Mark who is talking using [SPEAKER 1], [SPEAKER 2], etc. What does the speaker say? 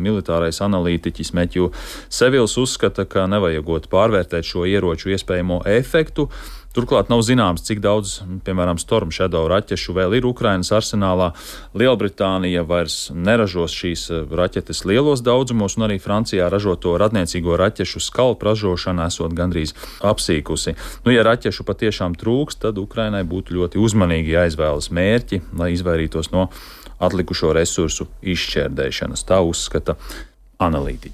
[SPEAKER 1] Militārais analītiķis Meķu Sevils uzskata, ka nevajagot pārvērtēt šo ieroču iespējamo efektu. Turklāt nav zināms, cik daudz, piemēram, Storm Shadow raķešu vēl ir Ukrainas arsenālā. Lielbritānija vairs neražos šīs raķetes lielos daudzumos, un arī Francijā ražoto radniecīgo raķešu skalpu ražošana esot gandrīz apsīkusi. Ja raķešu patiešām trūks, tad Ukrainai būtu ļoti uzmanīgi jāizvēlas mērķi, lai izvairītos no atlikušo resursu izšķērdēšanas. Tā uzskata analītiķi.